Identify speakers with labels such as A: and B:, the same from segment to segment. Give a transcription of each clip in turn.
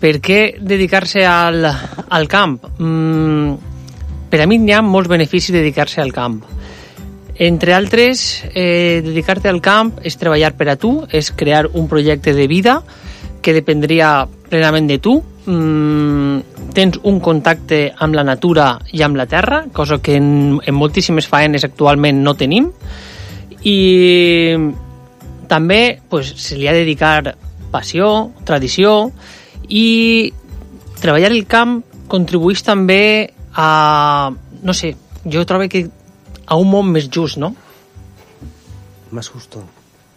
A: Per què dedicar-se al camp? Per a mi hi ha molts beneficis de dedicar-se al camp. Entre altres, dedicar-te al camp és treballar per a tu, és crear un projecte de vida que dependria plenament de tu. Tens un contacte amb la natura i amb la terra, cosa que en moltíssimes faenes actualment no tenim, i també se li ha de dedicar passió, tradició, i treballar el camp contribueix també a, no sé, jo trobo que a un món més just, ¿no?
B: Más justo.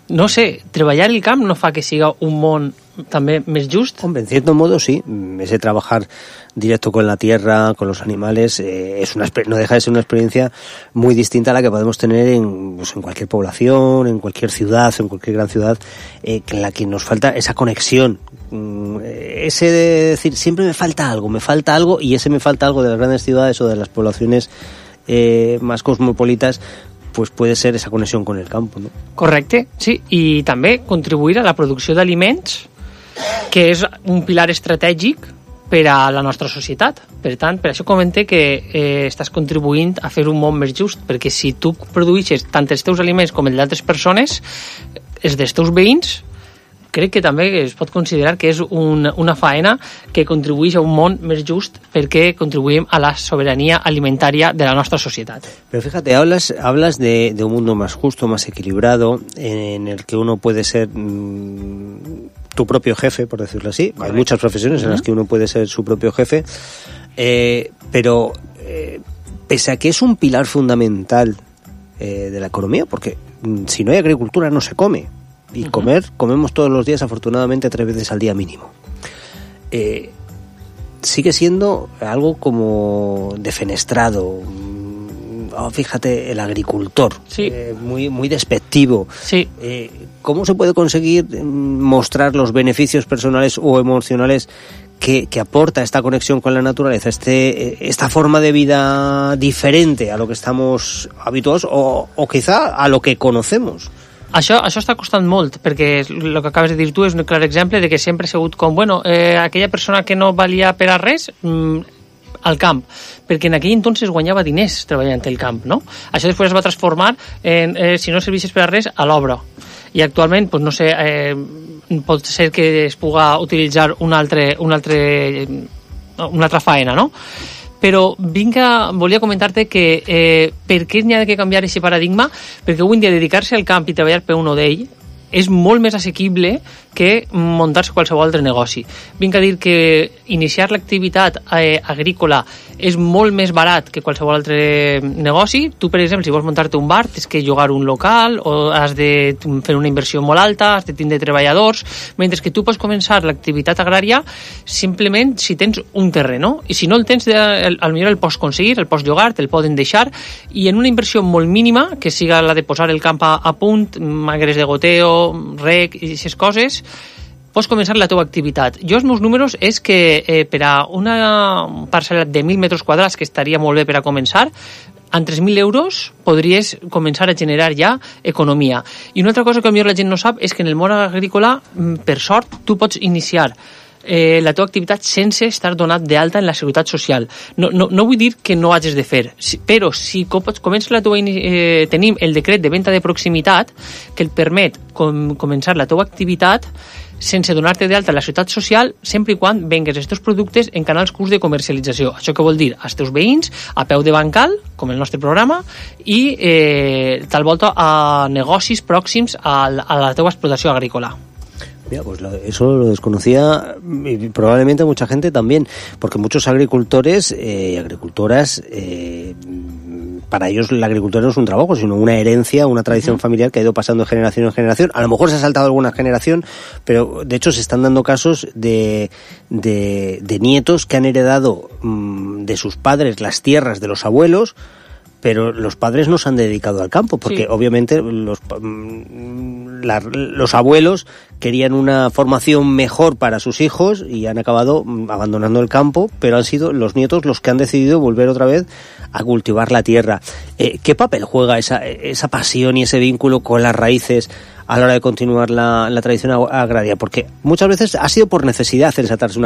A: No sé, treballar el camp no fa que siga un món també més just.
B: Hombre, en cierto modo sí. Ese trabajar directo con la tierra, con los animales, no deja de ser una experiencia muy distinta a la que podemos tener en cualquier población, en cualquier ciudad, en cualquier gran ciudad, en la que nos falta esa conexión. Ese de decir, siempre me falta algo, y ese me falta algo de las grandes ciudades o de las poblaciones más cosmopolitas, pues puede ser esa conexión con el campo, ¿no?
A: Correcte, sí, i també contribuir a la producció d'aliments, que és un pilar estratègic per a la nostra societat. Per tant, per això comente que estàs contribuint a fer un món més just, perquè si tu produeixes tant els teus aliments com els d'altres persones, els dels teus veïns, crec que també es pot considerar que és una faena que contribueix a un món més just, perquè contribuïm a la sobirania alimentària de la nostra societat.
B: Pero fíjate, hablas de un mundo más justo, más equilibrado, en el que uno puede ser tu propio jefe, por decirlo así. Correcto. Hay muchas profesiones en las que uno puede ser su propio jefe, pero pese a que es un pilar fundamental de la economía, porque si no hay agricultura no se come. Y comemos todos los días, afortunadamente, 3 veces al día mínimo. Sigue siendo algo como defenestrado. Fíjate, el agricultor,
A: sí.
B: Muy despectivo.
A: Sí.
B: ¿Cómo se puede conseguir mostrar los beneficios personales o emocionales que aporta esta conexión con la naturaleza, esta forma de vida diferente a lo que estamos habituados o quizá a lo que conocemos?
A: Això està costant molt, perquè el que acabes de dir tu és un clar exemple de que sempre ha sigut com, aquella persona que no valia per a res, al camp, perquè en aquell entonces guanyava diners treballant al camp, no? Això després es va transformar en, si no servissis per a res, a l'obra. I actualment, no sé, pot ser que es puga utilitzar una altra faena, no? Però volia comentar-te que per què n'hi ha de canviar aquest paradigma, perquè avui en dia dedicar-se al camp i treballar per un d'ell és molt més assequible que muntar-se qualsevol altre negoci. Vinc a dir que iniciar l'activitat agrícola és molt més barat que qualsevol altre negoci. Tu, per exemple, si vols muntar-te un bar, tens que llogar un local o has de fer una inversió molt alta, has de tindre treballadors, mentre que tu pots començar l'activitat agrària simplement si tens un terreno. I si no el tens, potser el pots aconseguir, el pots llogar, te'l poden deixar, i en una inversió molt mínima, que siga la de posar el camp a punt, magres de goteo, rec i aquestes coses, pots començar la teva activitat. Jo, els meus números és que per a una parcel·la de 1.000 metres quadrats, que estaria molt bé per a començar, amb 3.000 euros podries començar a generar ja economia. I una altra cosa que potser la gent no sap és que en el món agrícola, per sort, tu pots iniciar la teva activitat sense estar donat d'alta en la Seguretat Social. No vull dir que no hagis de fer, però si comences la teva... tenim el decret de venda de proximitat que et permet començar la teva activitat sense donar-te d'alta a la Seguretat Social, sempre i quan vengues els teus productes en canals curts de comercialització. Això què vol dir? Als teus veïns, a peu de bancal, com el nostre programa, i tal volta a negocis pròxims a la teva explotació agrícola.
B: Mira, pues eso lo desconocía y probablemente mucha gente también, porque muchos agricultores y agricultoras, para ellos la agricultura no es un trabajo, sino una herencia, una tradición familiar que ha ido pasando de generación en generación. A lo mejor se ha saltado alguna generación, pero de hecho se están dando casos de nietos que han heredado de sus padres las tierras de los abuelos, pero los padres no se han dedicado al campo, porque obviamente los abuelos querían una formación mejor para sus hijos y han acabado abandonando el campo, pero han sido los nietos los que han decidido volver otra vez a cultivar la tierra. ¿Qué papel juega esa pasión y ese vínculo con las raíces a la hora de continuar la tradición agraria? Porque muchas veces ha sido por necesidad el saltarse una